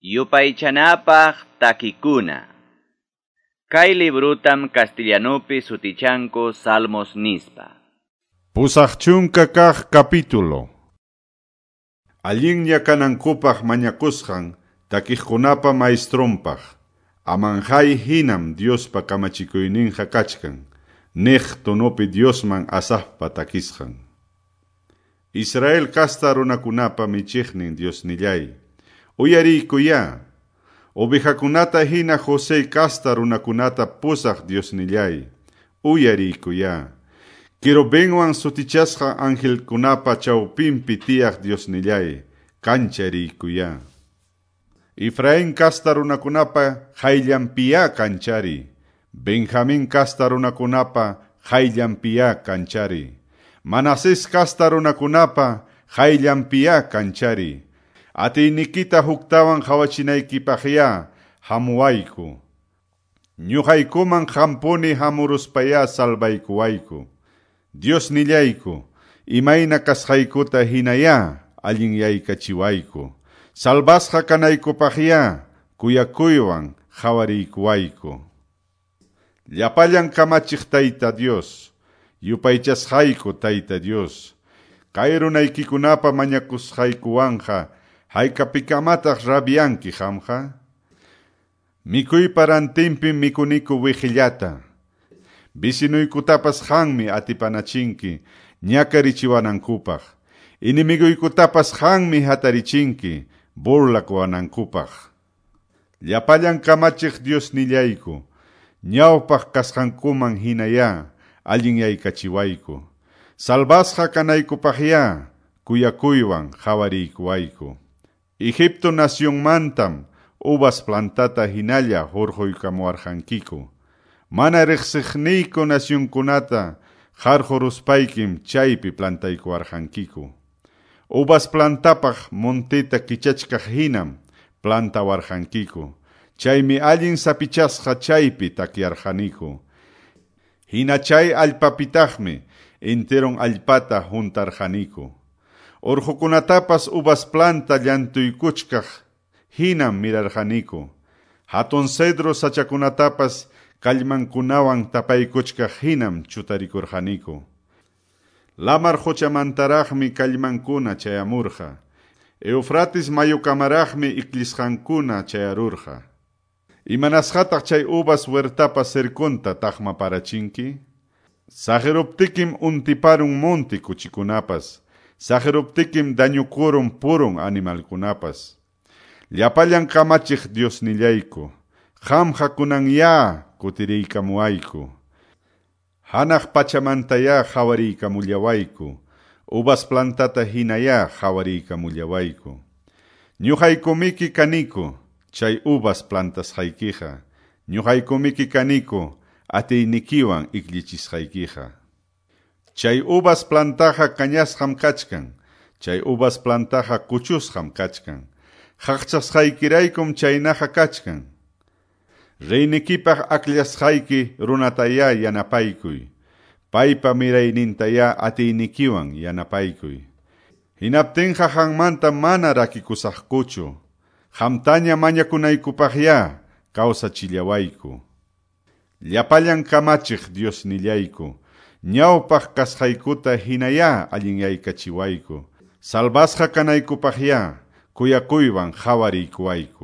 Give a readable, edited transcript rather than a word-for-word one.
Yupaychanapaq takikuna. Kay librutam castellanupi sutichanku Salmos nispa. 80 kaq capítulo. Allinlla kanankupaq mañakusqan takiqkunapa maestronpaq. Amanjay hinam Diospa kamachikuyninqa kachkan. Niq tonopi Diosman Asafpa takisqan. Israel kasta runakunapa michiqnin Diosnillay. Uyariykuyá. Ovejakunata hina José kasta runakunata pusaq Diosnillay. Uyariykuyá. Querubinwan sutichasqa angelkunapa chawpinpi tiyaq Diosnillay. Kanchariykuya. Efraín kasta runakunapa hayllanpiya kanchari. Benjamín kasta runakunapa hayllanpiya kanchari. Manasés kasta runakunapa hayllanpiya kanchari. Atiynikita huktawan qhawachinaykipaqya hamuwayku. Ñuqaykuman qampuni hamuruspayá salvaykuwayku. Diosnillayku, imayna kasqaykuta hinayá allinyaykachiwayku. Salvasqa kanaykupaqyá kuyakuywan qhawariykuwayku. Llapallan kamachiq Tayta Dios, yupaychasqayku Tayta Dios, kay runaykikunapa mañakusqaykuwanqa haykapikamataq rabianki qamqa? Mikuypa rantinpim mikuniku wiqillata. Vecinuykutapas qanmi atipanachinki ñakarichiwanankupaq. Enemiguykutapas qanmi hatarichinki burlakuwanankupaq. Llapallan kamachiq Diosnillayku, ñawpaq kasqankuman hinayá allinyaykachiwayku. Salvasqa kanaykupaqyá kuyakuywan qhawariykuwayku. Egipto nacionmantam uvas plantata hinalla hurquykamuwarqankiku. Mana riqsiqniyku nacionkunata qarquruspaykim chaypi plantaykuwarqankiku. Uvas plantapaq monteta kichachkaq hinam plantawarqankiku. Chaymi allin sapichasqa chaypi takyarqaniku. Hina chay allpapitaqmi enteron allpata huntarqaniku. Urqukunatapas uvas planta llantuykuchkaq hinam mirarqaniku. Hatun cedro sachakunatapas kallmankunawan tapaykuchkaq hinam chutarikurqaniku. Lamar quchamantaraqmi kallmankuna chayamurqa. Eufrates mayukamaraqmi iklisqankuna chayarurqa. Imanasqataq chay uvas huertapa cerconta taqmaparachinki? Saqiruptikim untiparun monte kuchikunapas. Saqiruptikim dañukurun purun animalkunapas. Llapallan kamachiq Diosnillayku, qamqa kunanyá kutiriykamuwayku. Hanaq pachamantayá qhawariykamullawayku. Uvas plantata hinayá qhawariykamullawayku. Ñuqaykumiki kaniku, chay uvas plantasqaykiqa. Ñuqaykumiki kaniku, atiynikiwan ikllichisqaykiqa. Chay uvas plantaqa kañasqam kachkan. Chay uvas plantaqa kuchusqam kachkan. Qaqchasqaykiraykum chaynaqa kachkan. Reynikipaq akllasqayki runatayá yanapaykuy. Paypa miraynintayá atiynikiwan yanapaykuy. Hinaptinqa qanmanta mana rakikusaqkuchu. Qamtaña mañakunaykupaqyá kawsachillawayku. Llapallan kamachiq Diosnillayku, ñawpaq kasqaykuta hinayá allinyaykachiwayku. Salvasqa kanaykupaqyá kuyakuywan qhawariykuwayku.